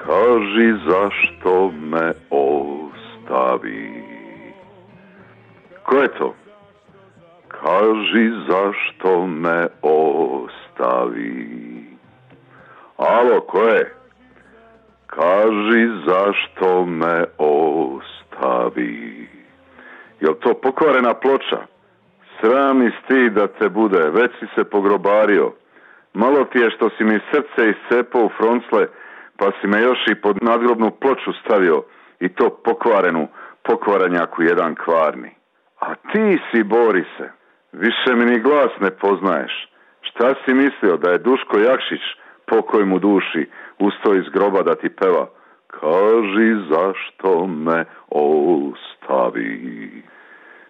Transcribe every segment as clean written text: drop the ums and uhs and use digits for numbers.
Kaži zašto me ostavi. Ko je to? Kaži zašto me ostavi. Alo, ko je? Kaži zašto me ostavi. Jel to pokvarena ploča? Srami sti da te bude, već si se pogrobario. Malo ti je što si mi srce iscepao u froncle, pa si me još i pod nadgrobnu ploču stavio, i to pokvarenjaku jedan kvarni. A ti si, Borise, više mi ni glas ne poznaješ. Šta si mislio, da je Duško Jakšić, pokoj mu duši, ustao iz groba da ti peva? Kaži zašto me ostavi.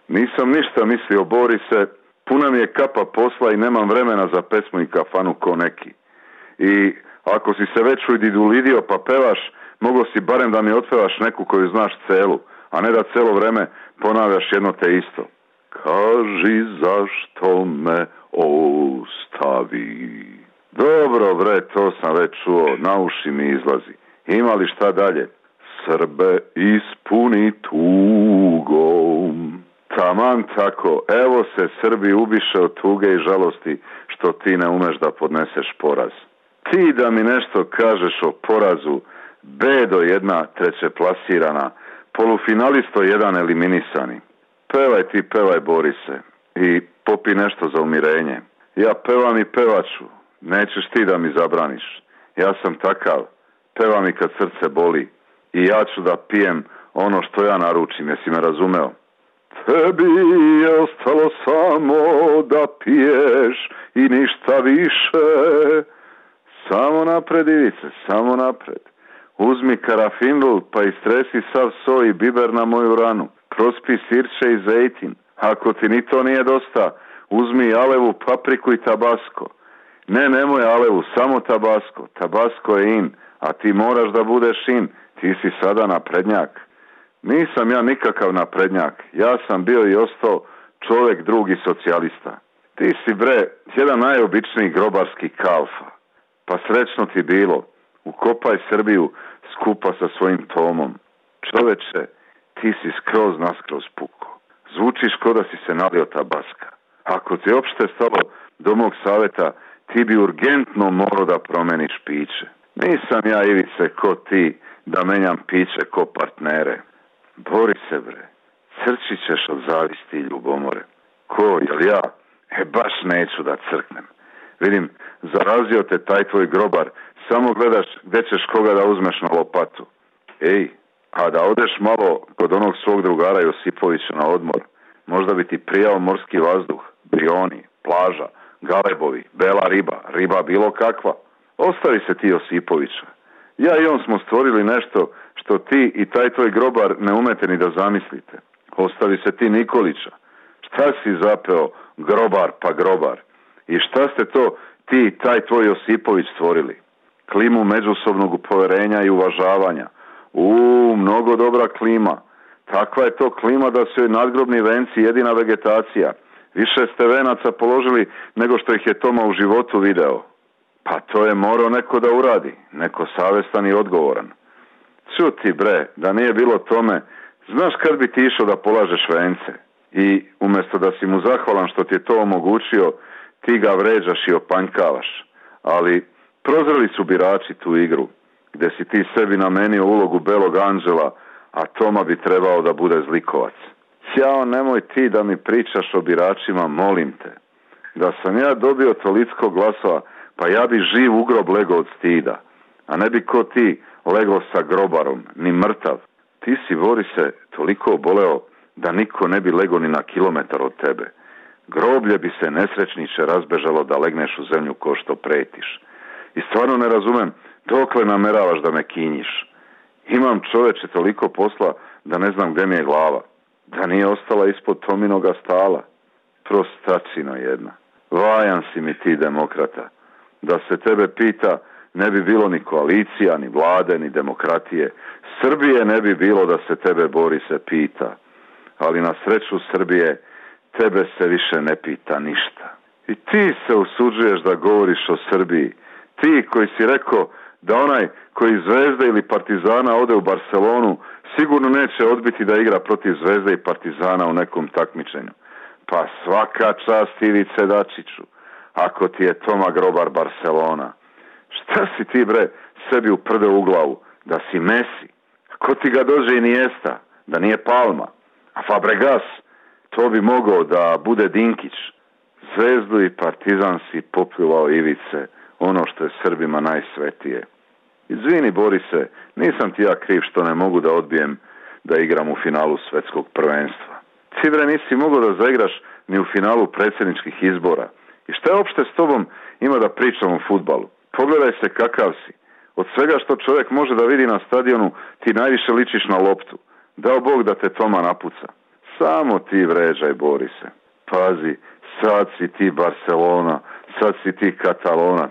Nisam ništa mislio, Borise, puna mi je kapa posla i nemam vremena za pesmu i kafanu ko neki. I ako si se već udidulidio pa pevaš, mogo si barem da mi otpevaš neku koju znaš celu, a ne da celo vreme ponavljaš jedno te isto. Kaži zašto me ostavi. Dobro bre, to sam već čuo, na uši mi izlazi. Ima li šta dalje? Srbe ispuni tugom. Taman tako, evo se Srbi ubiše od tuge i žalosti što ti ne umeš da podneseš poraz. Ti da mi nešto kažeš o porazu, bedo jedna trećeplasirana, polufinalisto jedan eliminisani. Pevaj ti, pevaj Borise, i popi nešto za umirenje. Ja pevam i pevaću, nećeš ti da mi zabraniš. Ja sam takav, pevam i kad srce boli. I ja ću da pijem ono što ja naručim, jesi me razumeo? Tebi je ostalo samo da piješ i ništa više. Samo napred, Ivice, samo napred. Uzmi karafinlu pa istresi sav soj i biber na moju ranu. Prospi sirće i zejtin. Ako ti ni to nije dosta, uzmi alevu, papriku i tabasko. Ne, nemoj alevu, samo tabasko. Tabasko je in, a ti moraš da budeš in. Ti si sada naprednjak. Nisam ja nikakav naprednjak. Ja sam bio i ostao čovjek drugi socijalista. Ti si bre jedan najobičniji grobarski kalfa. Pa srećno ti bilo. Ukopaj Srbiju skupa sa svojim Tomom. Čoveče, ti si skroz naskroz puko. Zvučiš ko da si se nalio tabaska. Ako ti opšte stalo do mog saveta, ti bi urgentno morao da promeniš piće. Nisam ja, Ivice, ko ti da menjam piće ko partnere. Bori se bre, crčit ćeš od zavisti i ljubomore. Ko, jel ja? Baš neću da crknem. Vidim, zarazio te taj tvoj grobar, samo gledaš gde ćeš koga da uzmeš na lopatu. Ej, a da odeš malo kod onog svog drugara Josipovića na odmor, možda bi ti prijao morski vazduh, brioni, plaža, galebovi, bela riba, riba bilo kakva. Ostavi se ti Josipovića. Ja i on smo stvorili nešto što ti i taj tvoj grobar ne umete ni da zamislite. Ostavi se ti Nikolića. Šta si zapeo, grobar pa grobar? I šta ste to ti i taj tvoj Josipović stvorili? Klimu međusobnog poverenja i uvažavanja. Mnogo dobra klima. Takva je to klima da su joj nadgrobni venci jedina vegetacija. Više ste venaca položili nego što ih je Toma u životu video. Pa to je morao neko da uradi, neko savestan i odgovoran. Čuti bre, da nije bilo tome, znaš kad bi ti išao da polažeš vence? I umjesto da si mu zahvalan što ti je to omogućio, ti ga vređaš i opanjkavaš. Ali prozreli su birači tu igru, gde si ti sebi namenio ulogu belog anđela, a Toma bi trebao da bude zlikovac. Jao, nemoj ti da mi pričaš o biračima, molim te. Da sam ja dobio toliko glasova, pa ja bi živ u grob lego od stida, a ne bi ko ti lego sa grobarom, ni mrtav. Ti si, Borise, toliko oboleo da niko ne bi lego ni na kilometar od tebe. Groblje bi se nesrećniče razbežalo da legneš u zemlju ko što pretiš. I stvarno ne razumem dokle nameravaš da me kinjiš. Imam, čoveče, toliko posla da ne znam gde mi je glava. Da nije ostala ispod Tominoga stala. Prostačino jedna. Vajan si mi ti, demokrata. Da se tebe pita, ne bi bilo ni koalicija, ni vlade, ni demokratije. Srbije ne bi bilo da se tebe, Borise, pita. Ali na sreću Srbije, tebe se više ne pita ništa. I ti se usuđuješ da govoriš o Srbiji. Ti koji si rekao da onaj koji iz Zvezde ili Partizana ode u Barcelonu sigurno neće odbiti da igra protiv Zvezde i Partizana u nekom takmičenju. Pa svaka čast Ivice Dačiću, ako ti je Toma Grobar Barcelona. Šta si ti bre sebi uprdeo u glavu? Da si Messi? Ko ti ga dođe Iniesta? Da nije Palma? A Fabregas? To bi mogao da bude Dinkić. Zvezdu i Partizan si popljuvao Ivice, ono što je Srbima najsvetije. Izvini Borise, nisam ti ja kriv što ne mogu da odbijem da igram u finalu svetskog prvenstva. Ti bre nisi mogao da zaigraš ni u finalu predsjedničkih izbora. I šta je opšte s tobom ima da pričam o fudbalu? Pogledaj se kakav si. Od svega što čovjek može da vidi na stadionu, ti najviše ličiš na loptu. Dao Bog da te Toma napuca. Samo ti vređaj, Borise. Pazi, sad si ti Barcelona, sad si ti Katalonac.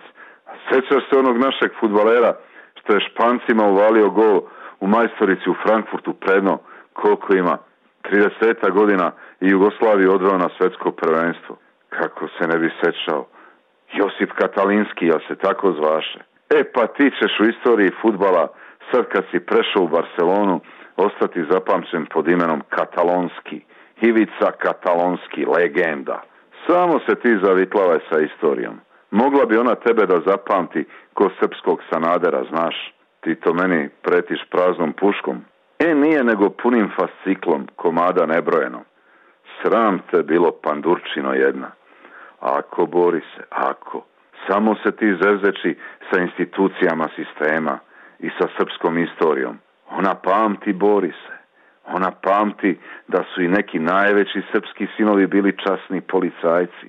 Sjećaš se onog našeg fudbalera što je Špancima uvalio gol u majstorici u Frankfurtu predno, koliko ima, 30 godina i Jugoslaviju odveo na svetsko prvenstvo. Kako se ne bi sjećao? Josip Katalinski, ja se tako zvaše. Pa ti ćeš u istoriji fudbala, sad kad si prešao u Barcelonu, ostati zapamćen pod imenom Katalonski. Ivica Katalonski, legenda. Samo se ti zavitlavaj sa istorijom. Mogla bi ona tebe da zapamti ko srpskog Sanadera, znaš. Ti to meni pretiš praznom puškom. Nije nego punim fasciklom, komada nebrojeno. Sram te bilo, pandurčino jedna. Ako, Borise, ako. Samo se ti zevzeči sa institucijama sistema i sa srpskom istorijom. Ona pamti, Borise. Ona pamti da su i neki najveći srpski sinovi bili časni policajci.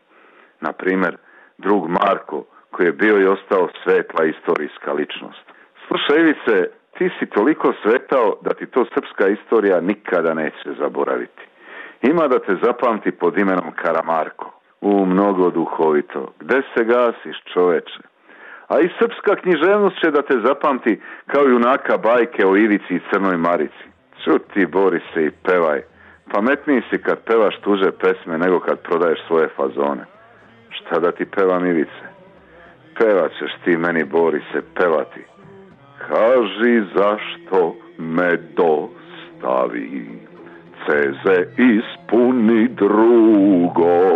Na primjer, drug Marko, koji je bio i ostao svetla istorijska ličnost. Slušaj, Ivice, ti si toliko svetao da ti to srpska istorija nikada neće zaboraviti. Ima da te zapamti pod imenom Karamarko. Mnogo duhovito. Gde se gasiš, čoveče? A i srpska književnost će da te zapamti kao junaka bajke o Ivici i Crnoj Marici. Čuti, Borise, i pevaj. Pametniji si kad pevaš tuže pesme nego kad prodaješ svoje fazone. Šta da ti pevam, Ivice? Pevat ćeš ti meni, Borise, pevati. Kaži zašto me dostavi, ceze ispuni drugom.